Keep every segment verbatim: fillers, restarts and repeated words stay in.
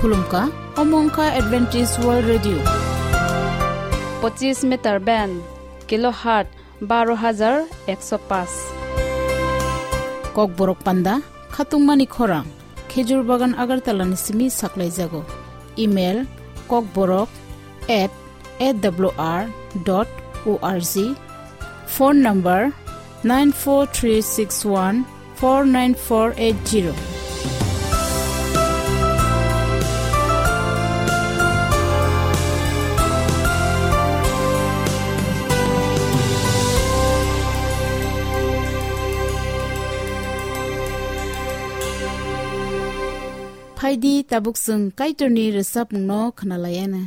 Khulumkha, omo wngkha Adventist World Radio. Pochis meter band, kilohertz baro hajar ekso paanch. Kokborok panda, khatungmani khorang, Khejur Bagan Agartala ni simi saklaijago. Email, kokborok at A W R dot O R G. Phone number, nine four three six one four nine four eight zero. Phaidi, tabuk chwng Kaitorni rwchapmungno khwnalaianw.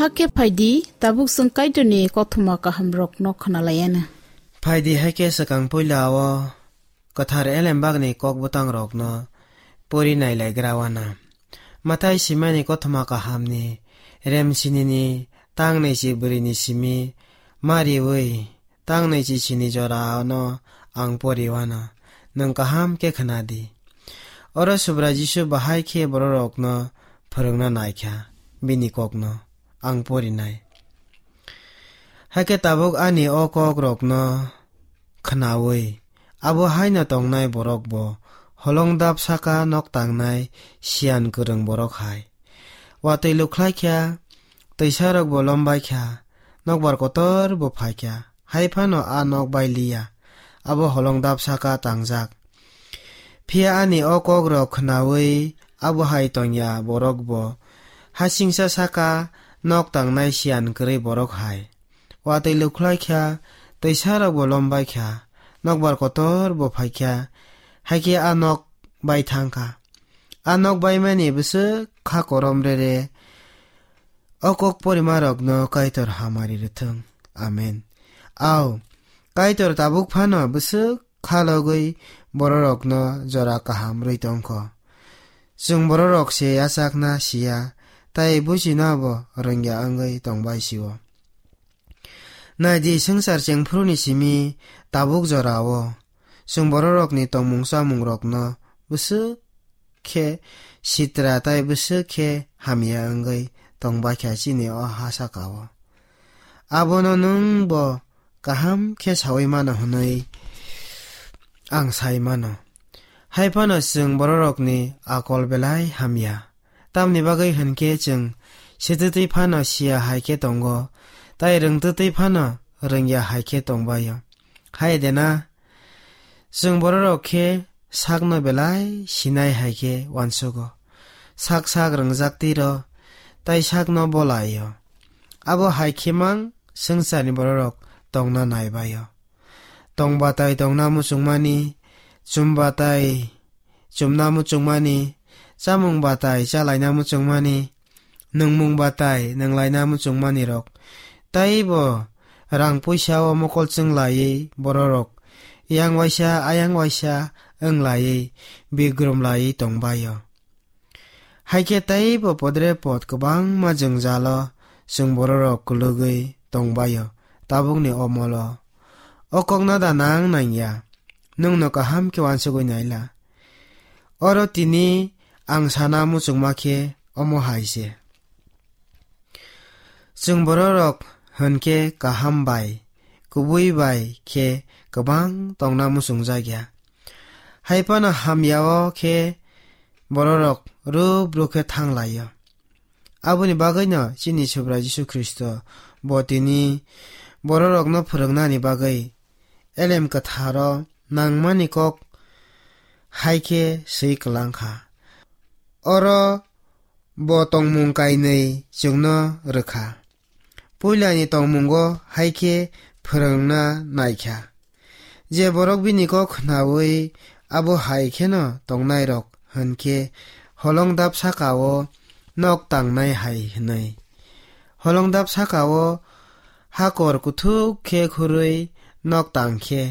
Hakhe phaidi, tabuk chwng Kaitorni kothoma kahamrokno khwnalaianw. Phaidi, hakhe swkang puila o kwthar elembakni kokbwtangrokno pori nailaigra wana. Mathai simani kothoma kahamni remsinini tangnaichi bwrwini simi mariwi tangnaichi sini jorano ang pori wana. Nwng kaham khe khwnadi. Oro Subrai Jisu bahai khe bororokno phwrwngna naikha, bini kokno ang porinai. Hakhe tabuk ani o kokrokno khwnawi, abo haino tongnai borok bo holong dap saka nok tangnai siyan kwrwng borok hai. Watwi lukhlai kha, twisarok bo lombai kha, nokbar kotor bo phai kha, hai phano a nok bai liya, abo holong dap saka tangjak. Phiya ani o kokrok khwnawi abo hai tongya borok bo hasingsa saka nok tangnai siyan kwrwi borok hai. Watwi lukhlai kha, twisarok bo lombai kha, nokbar kotor bo phai kha, hakhe a nok bai thang kha. A nok baimani bwswk kha korom rere, o kok porimarokno Kaitor hamari rwthwng. Amen. Au, Kaitor tabuk phano bwswk khalogwi bororokno jora kaham rwi tongkho. Chwng bororok se yachakna siya, tai buchina bo rwngya wngwi tongbai sio. Naidi, swngchar chengphuruni simi tabuk jorao chwng bororokni tongmung chamungrokno bwswk khe sitra tai bwswk khe hamya wngwi tongbaikha chini o ha sakao. Abono nwng bo kaham khe saui mano hwnwi ang sai mano. Hai phano chwng bororokni akol belai hamya. Tamni bagwi hwn khe chwng sitwtwi phano siya hai khe tongo, tai rwngtwtwi phano rwngya hai khe tongbaio. Hai de na? Chwng bororok khe sakno belai sinai hai khe uansugo. Sak sak rwngjaktwi rw, tai sakno bolaio. Abo hai khe mang swngcharni bororok tongna naibaio. Tongbatai tongna muchungmani, chumbatai chumna muchungmani, chamung batai chalaina muchungmani, nwngmung batai nwnglaina muchungmanirok, taibo rang puisa o mokol chwng laiwi bororok yang waisa ayang waisa wng laiwi bigrum laiwi tongbaio. Hai khe teibo podre pod kwbangma jwngjalo chwng bororok kwlwgwi tongbaio tabukni omolo. O kokno da nang nangya, nwngno kaham khe uansugwi naila. Oro tini ang sana muchungma khe omo hai se. Chwng bororok hwn khe kaham bai, kubui bai khe kwbang tongna muchungjakya. Hai phano hamya-o khe bororok rwk rwk khe thang lai-o. Aboni bagwino chini Subrai Jisu Khristo bo tini bororokno phwrwngnani bagwi Elem Kwtharo nangmani kok hai khe swi kwlang kha. Oro bo tongmung kainwi chwngno rwkha. Puilani tongmungo hai khe phwrwngna naikha. Je borok bini kok khnaui abo hai kheno tongnairok hwn khe holongdap saka-o nok tangnai hai hwnwi. Holongdap saka-o hakor kuthuk khe khurui nok tang khe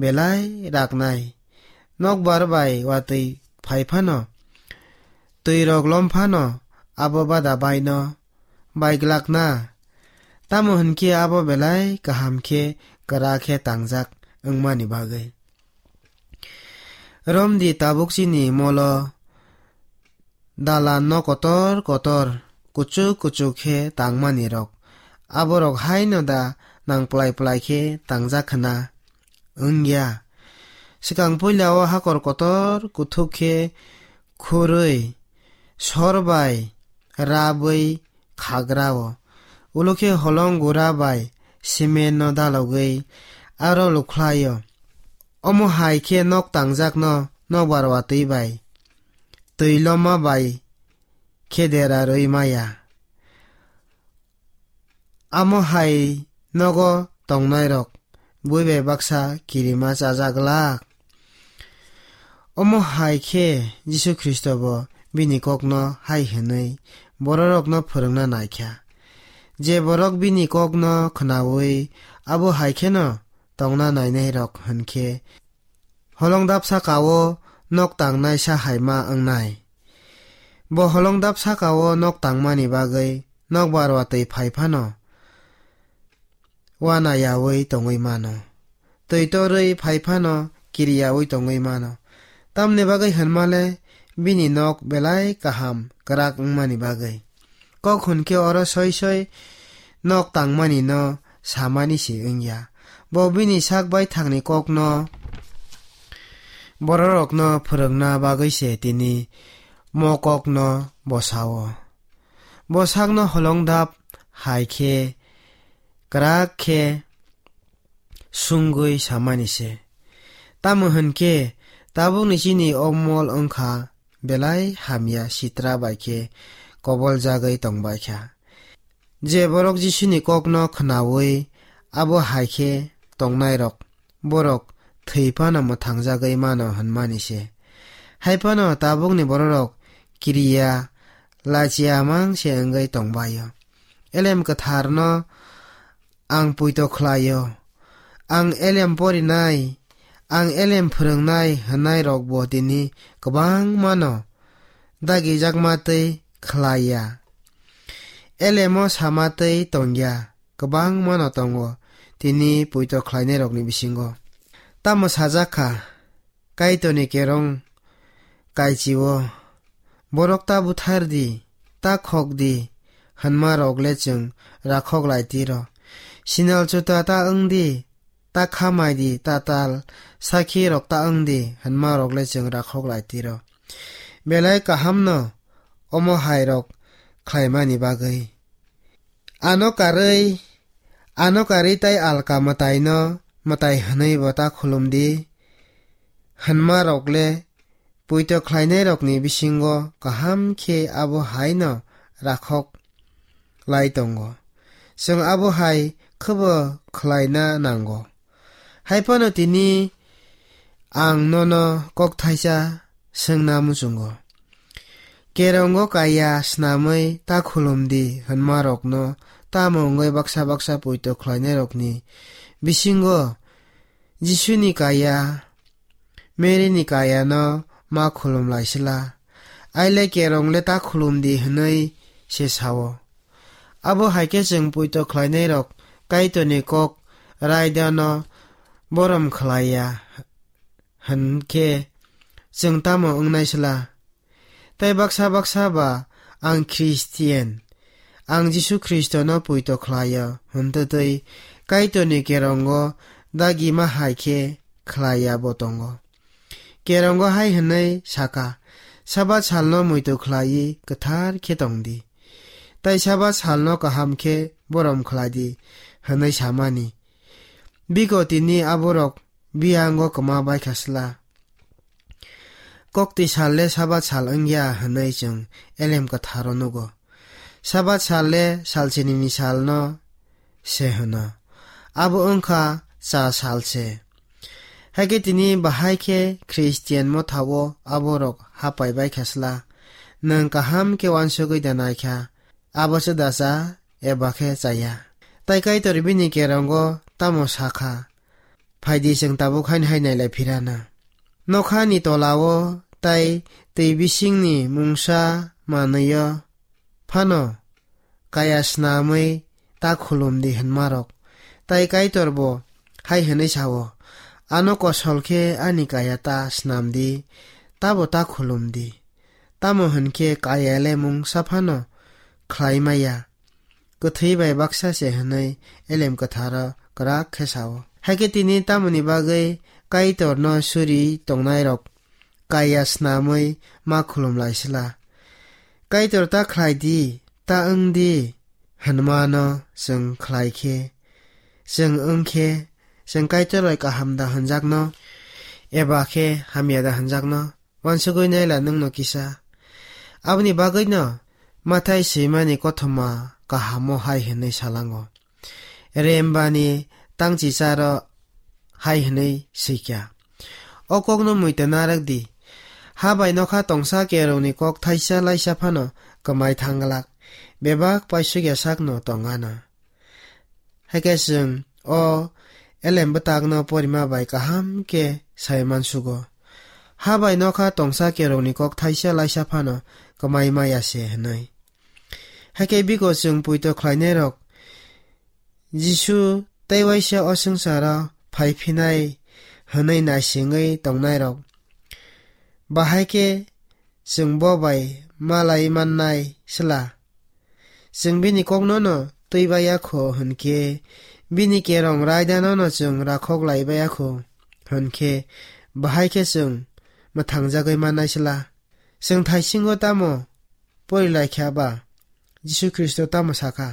belai raknai. Nokbar bai watwi phai phano, twirok lom phano abo bada baino baiglak na, tamo hwn khe abo belai kaham khe kwrak khe tangjak wngmani bagwi. Romdi tabuk chini molo dalan no kotor kotor, kuchuk kuchuk khe tangmani rok, aborok haino da nang plai plai khe tangjak khna? Wngya. Swkang puila o hakor kotor kuthuk khe khurui sor bai rabwi khagra o. Ulo khe holong gura bai cement no dalogwi aro lukhlai o. Omo hai khe nok tangjak no nokbar watwi bai, twi loma bai khe dera rwi maya. Amo hai nogo tongnairok bui bai baksa kirima chajak glak. Omo hai khe Jisu Khristo bo bini kokno hai hwnwi bororokno phwrwngna naikha. Je borok bini kokno khnaui abo hai kheno tongna nainairok hwn khe holongdap saka-o nok tangnai sa hai ma wngnai. Bo holongdap saka-o nok tangmani bagwi nokbar watwi phai phano wana yaui tongwi mano. Twi torwi phai phano kiri yaui tongwi mano. Tamni bagwi hwnmale bini nok belai kaham kwrak wngmani bagwi. Kok hwn khe oro soi soi nok tangmani no samani se wngya. Bo bini sak baithangni kokno bororokno phwrwngna bagwi se tini mo kokno bo sao. Bo sakno holongdap hai khe kwrak khe sungwi samani se. Tamo hwn khe tabukni chini o mol wng kha belai hamya sitra bai khe koboljagwi tong bai kha. Je borok Jisuni kokno khnaui abo hai khe tongnairok, borok thwi phano mwthangjagwi mano hwnmani se. Hai phano tabukni bororok kiriya, lachiya mang se wngwi tong bai-o. Elem Kwtharno ang poito khlai-o. Ang elem porinai, ang elem phwrwngnai hwnnairokbo tini kwbangmano dagijakma tei khlai ya. Elemo sama tei tong ya, kwbangmano tongo tini poito khlainairokni bisingo. Tamo sajak kha, Kaitorni kerong kaichio, "Borok ta buthar di, ta khok di," hwnmarok le chwng rakhok lai tiro. "Sinal chuta ta wng di, ta khamai di, ta tal sakhi rok ta wng di," hwnmarok le chwng rakhok lai tiro. Belai kahamno omo hai rok khlaimani bagwi. Ano karwi, ano karwi tai alka mwtaino mwtai hwnwi bo ta khulum di hwnmarok le poito khlainairokni bisingo kaham khe abo haino rakhok lai tongo. Chwng abo hai khwbo khlaina nango. Hai phano tini ang nono kok thaisa swngna muchungo. Kerongo kaya snamwi ta khulum di hwnmarokno tamo wngwi baksa baksa poito khlainairokni bisingo Jisuni kaya, Mary ni kaya no ma khulum lai sila. Aile kerong le ta khulum di hwnwi se sao. Abo hai khe chwng poito khlainai rok Kaitor ni kok raida no borom khlai ya hwn khe chwng tamo wngnai sila? Tai baksa baksa ba, "Ang Christian, ang Jisu Khristo no poito khlai o," hwn twtwi Kaitor ni kerongo dagi ma hai khe khlai ya bo tongo. Kerongo hai hwnwi saka, "Sabat salno muitu khlaiwi kwthar khe tong di, tai Sabat salno kaham khe borom khlai di," hwnwi samani. Biko tini aborok biyango kwma bai kha sla. Kokti sal le Sabat sal wng ya hwnwi chwng Elem Kwtharo nugo. Sabat sal le salchinini salno se hwno. Abo wng kha cha sal se. Hai khe tini bahai khe Christian motha-o aborok hapai bai kha sla. Nwng kaham khe uansugwi da nai kha, abo se da cha eba khe cha ya. Tai Kaitor bini kerongo tamo sa kha? Phai di, chwng tabuk haino hai nailai phirana. Nokhani tola-o tai twi bisingni mungsa manwi-o phano kaya snamwi ta khulum di hwnmarok. Tai Kaitor bo hai hwnwi sao, "Ano kosol khe ani kaya ta snam di, tabo ta khulum di. Tamo hwn khe kaya le mungsa phano khlai maya." Kwthwi bai baksa se hwnwi Elem Kwtharo kwrak khe sao. Hai khe tini tamoni bagwi Kaitorno suri tongnairok kaya snamwi ma khulum lai sla. Kaitor ta khlai di, ta wng di hwnmano chwng khlai khe, chwng wng khe, chwng Kaitor bai kaham da hwnjakno eba khe hamya da hwnjakno? Uansugwi naila nwngno kisa. Aboni bagwino Mathai swimani kothoma kahamo hai hwnwi salango. Rembani tangchicharo hai hwnwi swikha. O kokno muita narwk di. Ha bai nokha tongsa kerongni kok thaisa laisa phano kwmai thang glak. Bebak paisukya sakno tong ano. Hai khe chwng o Elem bwtakno porima bai kaham khe sai mansugo. Ha bai nokha tongsa kerongni kok thaisa laisa phano kwmai maya se hwnwi. Hai khe biko chwng poito khlainairok Jisu tei waisa o swngcharo phai phinai hwnwi naisingwi tongnairok bahai khe chwng bo bai malai mannai sla? Chwng bini kokno no twi baiya kho hwn khe, bini kerong raida no no chwng rakhok lai baiya kho hwn khe, bahai khe chwng mwthangjagwi mannai sla? Chwng thaisingo tamo pori lai kha ba? Jisu Khristo tamo sa kha?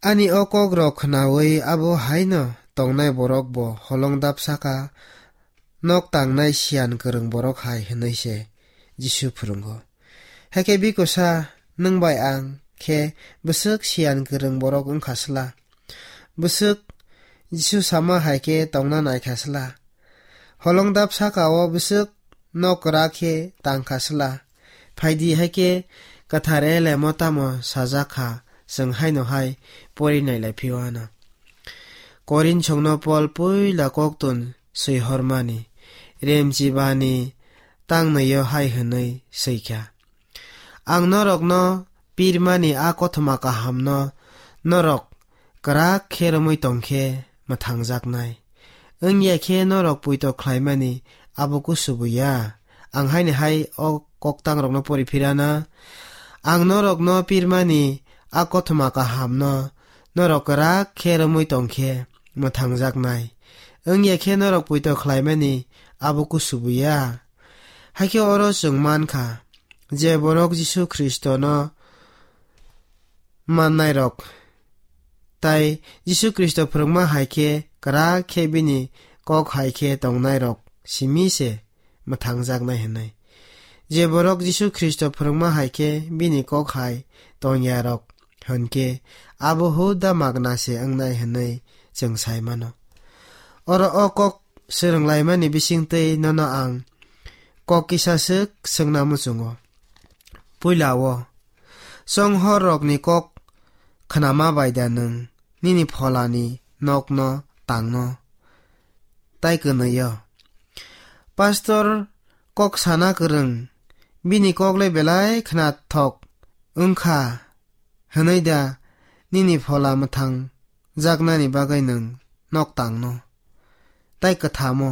Ani o kokrok khnaui abo hai no tongnai borok bo holong dap saka, nok tangnai siyan kwrwng borok hai hwnwi se Jisu phwrwngo. Hai khe bikosa, nwng bai ang khe bwswk siyan kwrwng borok wng kha sla? Bwswk Jisu sama hai khe tongna nai kha sla? Holong dap saka o bwswk nok kwrak khe tang kha sla? Phai di, hai khe kwthar Elemo tamo sajak kha, chwng haino hai pori nai lai phio ano. Korinthokno Pol puila koktun swi hormani, remchibani tangnwi-o hai hwnwi swi kha, Ang norokno pirmani a kothoma kahamno norok kwrak khe romwi tong khe mwthangjaknai. Wngya khe norok poito khlaimani abo kusubu ya. Ang haini hai o koktangrokno pori phirana. Ang norokno pirmani a kothoma kahamno norok kwrak khe romwi tong khe mwthangjaknai. Wngya khe norok poito khlaimani abo kusubu ya. Hakhe oro chwng man kha, je borok Jisu Khristono mannairok, tai Jisu Khristo phwrwngma hai khe kwrak khe bini kok hai khe tongnairok simi se mwthangjaknai hwnwi. Je borok Jisu Khristo phwrwngma hai khe bini kok hai tongyarok hwn khe abo huda magna se wngnai hwnwi chwng sai mano. Oro o kok swrwnglaimani bisingtwi nono ang kok kisa swk swngna muchungo. Puila o, chonghor rokni kok khnama bai da nwng nini pholani nokno tangno tai kwnwi o. Pastor kok sana kwrwng, bini kok le belai khnathok wngkha hwnwi da nini phola mwthang jaknani bagwi nwng nok tangno tai kwthamo.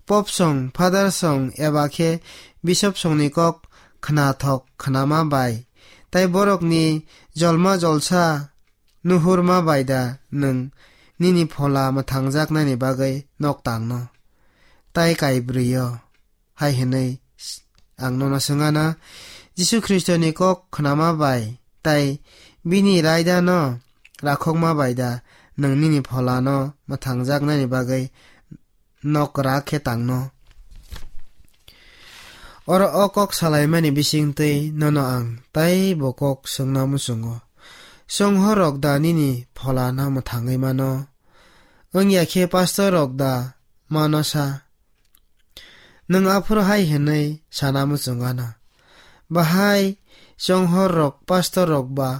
Pop song, father song eba khe bishop songni kok khnathok khnama bai tai borokni jolma jolsa nuhurma bai da nwng nini phola mwthangjaknani bagwi nok tangno tai kaibrwi o? Hai hwnwi ang nono swngana, Jisu Khristoni kok khnama bai tai bini raidano rakhokma bai da nwng nini pholano mwthangjaknani bagwi nok kwrak khe tangno? Oro o kok salaimani bisingtwi nono ang taibo kok swngna muchungo. Chonghor rok da nini pholano mwthangwi mano? Wngya khe pastor rok da mano sa? Nwng aphuru hai hwnwi sana muchungana, bahai chonghor rok pastor rok ba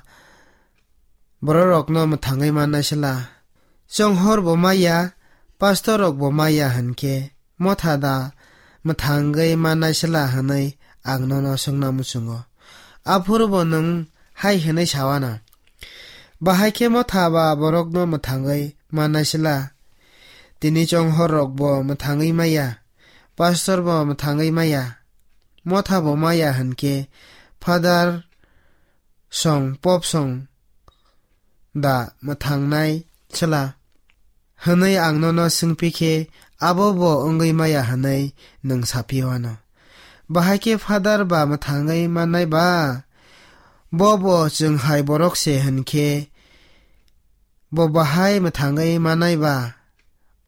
bororokno mwthangwi mannai sela? Chonghor bo maya, pastor rok bo maya hwn khe motha da mwthangwi mannai sela hwnwi ang nono swngna muchungo. Aphuru bo nwng hai hwnwi sawana, bahai khe motha ba borokno mwthangwi mannai sela? Tini chonghor rok bo mwthangwi maya, pastor bo mwthangwi maya, motha bo maya hwn khe father song, pop song da mwthangnai sela? Hwnwi ang nono swngpi khe, abo bo wngwi maya hwnwi nwng saphi wano. Bahai khe father ba mwthangwi mannai ba? Bo bo chwng hai borok se hwn khe, bo bahai mwthangwi mannai ba?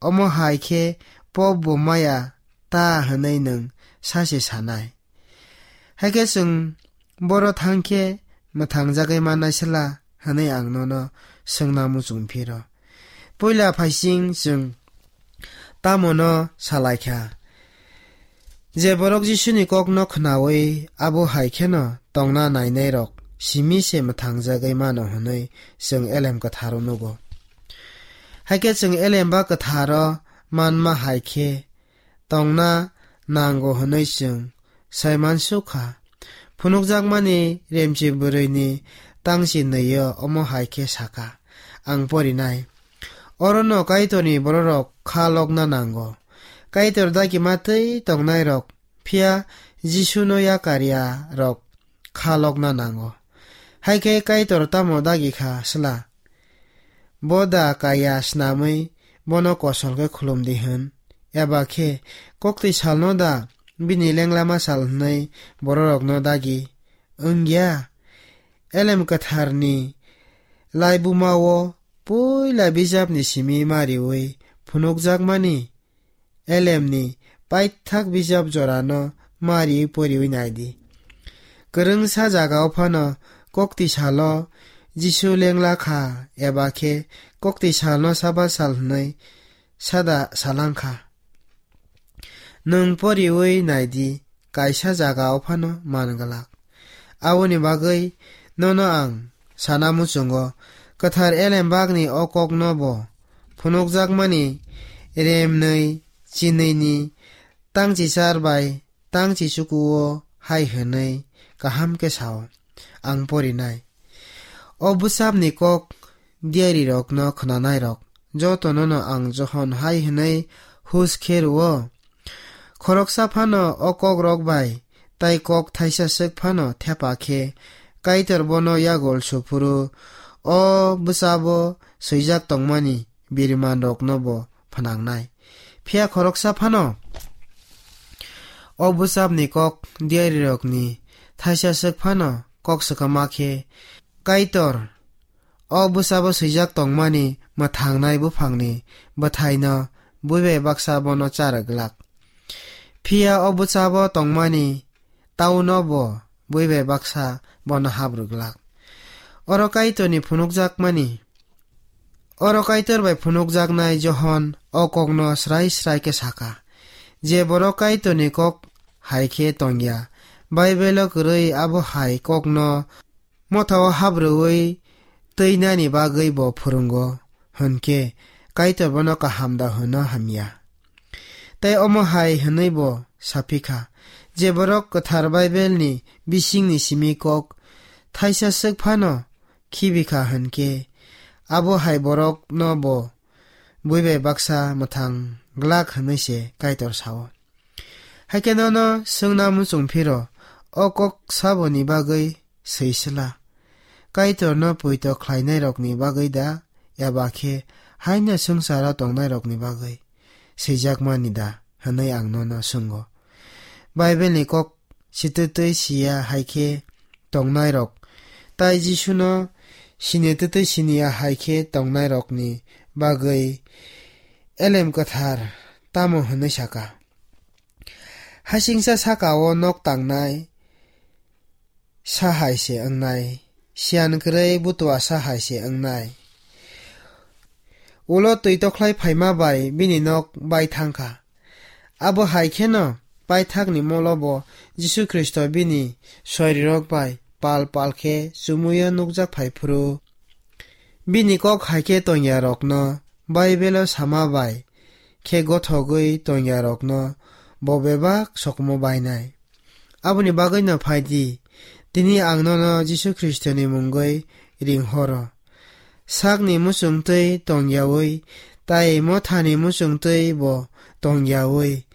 Omo hai khe pop bo maya ta hwnwi nwng sa se sanai. Hakhe chwng boro thang khe mwthangjagwi mannai sela hwnwi ang nono swngna muchung phiro. Puila phaising chwng tamo no salai kha? Je borok Jisuni kokno khnaui abo hai kheno tongna nainairok simi se mwthangjagwi mano hwnwi chwng Elem Kwtharo nugo. Hakhe chwng Elem ba Kwtharo manma hai khe tongna nango hwnwi chwng sai mansukha. Phunukjakmani Remchi bwrwini tangchi nwi-o omo hai khe sakha, ang porinai. Orono Kaitorni bororok kha lokna nango. Kaitor dagi ma twi tongnairok, phiya Jisuno yakarya rok kha lokna nango. Hai khe Kaitor tamo dagi kha sla? Bo da kaya snamwi bono kosol khe khulum di hwn? Eba khe koktwi salno da bini lengla ma sal hwnwi bororokno dagi wngya? Elem Kwtharni laibuma-o puila bijapni simi ma riui phunukjakmani Elemni paithak bijap jorano ma riui poriui nai di. Kwrwngsa jagao phano koktwi salo Jisu lengla kha eba khe koktwi salno Sabat sal hwnwi sada salang kha. Nwng poriui nai di, kaisa jagao phano man glak. Aboni bagwi nono ang sana muchungo, kwthar elembakni o kokno bo phunukjakmani remnwi chinwini tangchichar bai tangchichukuo hai hwnwi kaham khe sao. ang porinai. O bwsapni kok diarirokno khwnanairok jotonono ang Johon hai hwnwi hus khe rw-o, khoroksa phano o kokrok bai tai kok thaisa swk phano thepa khe Kaitor bono yagul su phuru o bwsabo swijak tongmani birimanrokno bo phnangnai. Phiya khoroksa phano o bwsapni kok diarirokni thaisa swk phano kok swkama khe Kaitor o bwsabo swijak tongmani mwthangnai buphangni bwthaino buibai baksa bono cha rwglak. Phiya o bwsabo tongmani tauno bo buibai baksa bono hap rwglak. Oro Kaitorni phunukjakmani, oro Kaitor bai phunukjaknai Johon o kokno srai srai khe saka, je borok Kaitorni kok hai khe tongya, Baibelo kwrwi abo hai kokno mothao hap rwui twinani bagwi bo phwrwngo, hwnkhe Kaitor bono kaham da hwno hamya? Tei omo hai hwnwi bo saphi kha, je borok kwthar Baibelni bisingni simi kok thaisa swk phano khibi kha hwnkhe, abo hai borokno bo buibai baksa mwthang glak hwnwi se Kaitor sao. Hai khe nono swngna muchung phiro, o kok saboni bagwi swi sla? Kaitorno poito khlainairokni bagwi da, eba khe haino swngcharo tongnairokni bagwi swijakmani da? Hwnwi ang nono swngo. Baibelni kok sitwtwi siya hai khe tongnairok, tai Jisuno sinitwtwi siniya hai khe tongnairokni bagwi Elem Kwthar tamo hwnwi saka? Hasingcha saka-o nok tangnai sa hai se wngnai, siyan kwrwi butua sa hai se wngnai. Ulo twi tokhlai phaima bai bini nok bai thang kha. Abo hai kheno paithakni molo bo Jisu Khristo bini soirirok bai pal pal khe chumuio nukjak phai phuru, bini kok hai khe tongyarokno, Baibelo sama bai khe gothogwi tongyarokno bo bebak sokomormo bainai. Aboni bagwino phai di, tini ang nono Jisu Khristoni mungwi ring horo. Sakni muchungtwi tongyaui, tai mothani muchungtwi bo tongyaui,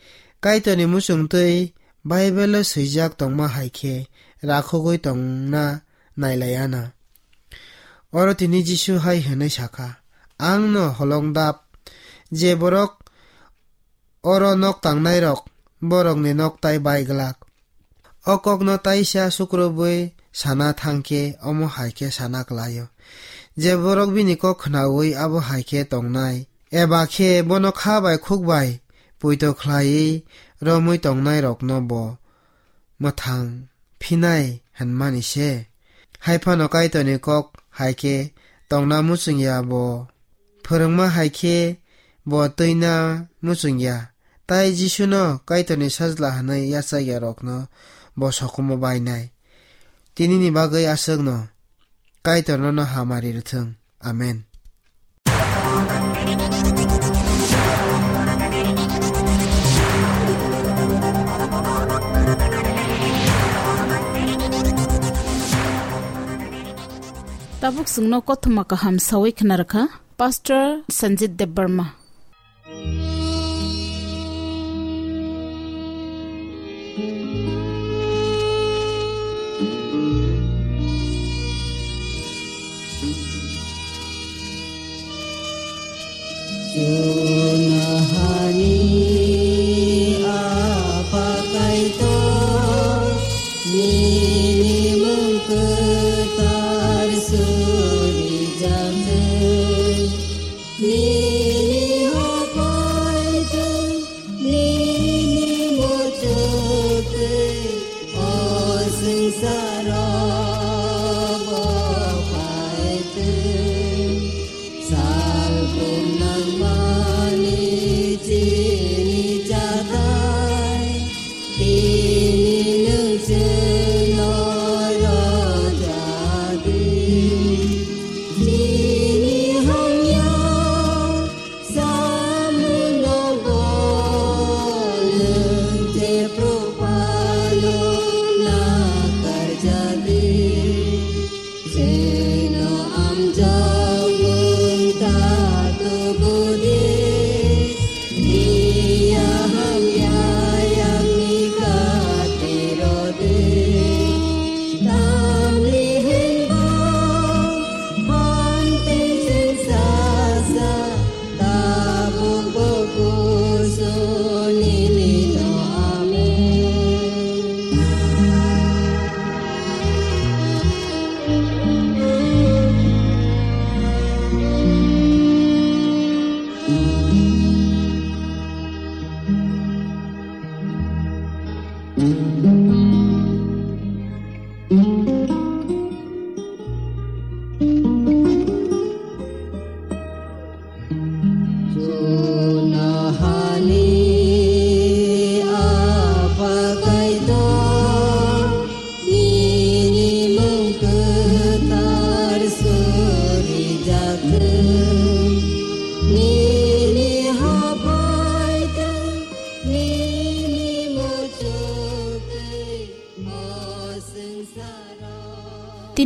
Kaitorni muchungtwi Baibelo swijak tongma hai khe rakhogwi tongna nailai anw. Oro tini Jisu hai hwnwi sa kha, "Ang'-no holong dap, je borok oro nok tangnairok, borokni nok tai bai glak." O kokno taisa sukrubwi sana thang khe omo hai khe sana klai-o, je borok bini kok khnaui abo hai khe tongnai, eba khe bono kha bai khuk bai poito khlaiwi romwi tongnairokno bo mwthang phinai hwnmani se. Hai phano Kaitorni kok hai khe tongna muchungya bo, phwrwngma hai khe bo twina muchungya, tai Jisuno Kaitorni Sajla hwnwi yachakyarokno bo sokomormo bainai. Tinini bagwi aswkno Kaitor nono hamari rwthwng. Amen. Tabuk chwngno kothoma kaham sawi khna rwkha Pastor Sanjit Debbarma. Chunahani Apha Kaitor, nini mung kwthar suri jathwng, nini hophai thwng, nini muchuk thwng, o swngcharo bo phai thwng. Salbrum nangma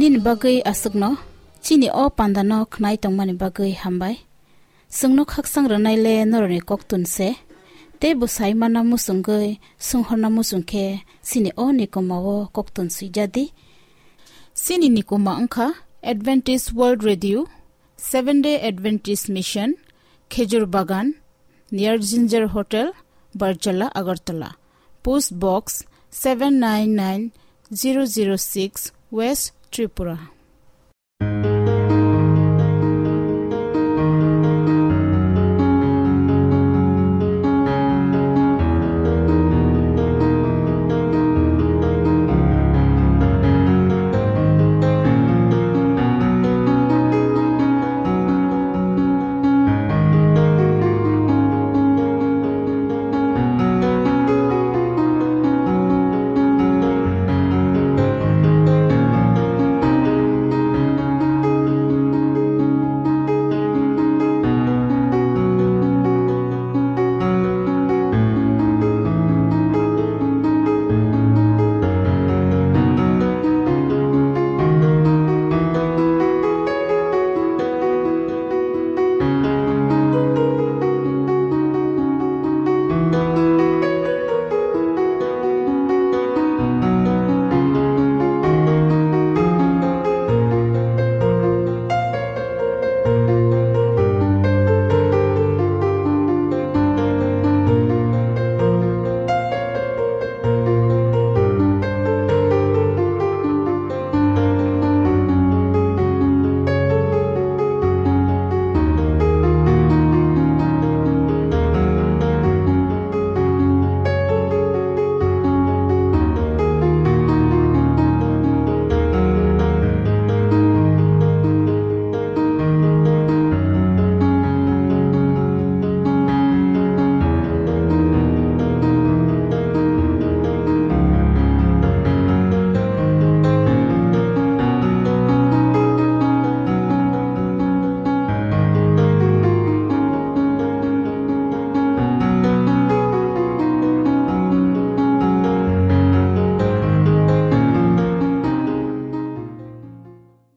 Nini bagwi aswkno chini o pandano khnai tongmani bagwi hambai. Chwngno khaksang rwnaile norokni koktun se. Tei bwsai mana muchungwi swnghorna muchung khe chini o nikoma o koktun swijadi. Chini nikoma wngkha Adventist World Radio, Seventh Day Adventist Mission, Khejur Bagan, near Ginger Hotel, Barjala, Agartala. Post Box seven nine nine zero zero six, West Tripura.